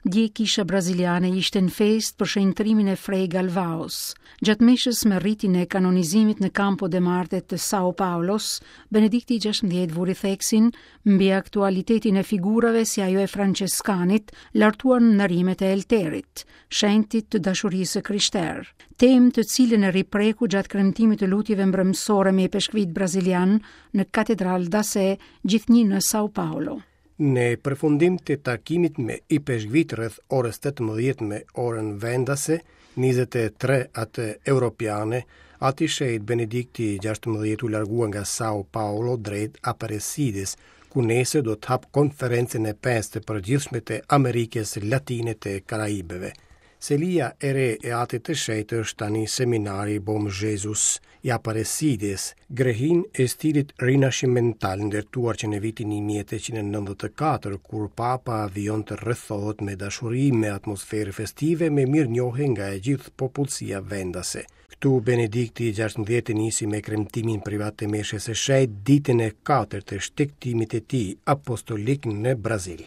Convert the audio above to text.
Dje kisha braziliane ishte në festë për shenjtërimin e Frei Galvaos. Gjatë meshës me ritin e kanonizimit në Campo de Marte të Sao Paulos, Benedikti XVI vuri theksin mbi aktualitetin e figurave si ajo e Françeskanit, lartuar në nderimet e Elterit, shenjtit të dashurisë së krishterë. Temë të cilën e ripreku gjatë kremtimit të lutjeve mbrëmësore me ipeshkvijtë brazilianë në Katedral da Se, gjithnjë në Sao Paulo. Në përfundim të takimit me ipeshkvijtë rreth orës 18 me orën vendase, 23 atë europiane, Ati i Shenjtë Benedikti XVI u largua nga Sao Paulo drejt Aparecides, ku nesër do të hapë konferencën e pestë të përgjithshme të Amerikës Latine të Karaibeve. Selia e re e Atit të Shenjtë është tani Seminari Bom Jesus i Aparecides, grehinë e stilit rinashimental ndërtuar që në vitin 1894, kur Papa vijon të rrethohet me dashuri, me atmosferë festive, me mirënjohje nga e gjithë popullsia vendase. Këtu Benedikti i XVI nisi me kremtimin privat të meshës së shenjtë ditën e katërt të shtegtimit të tij apostolik në Brazil.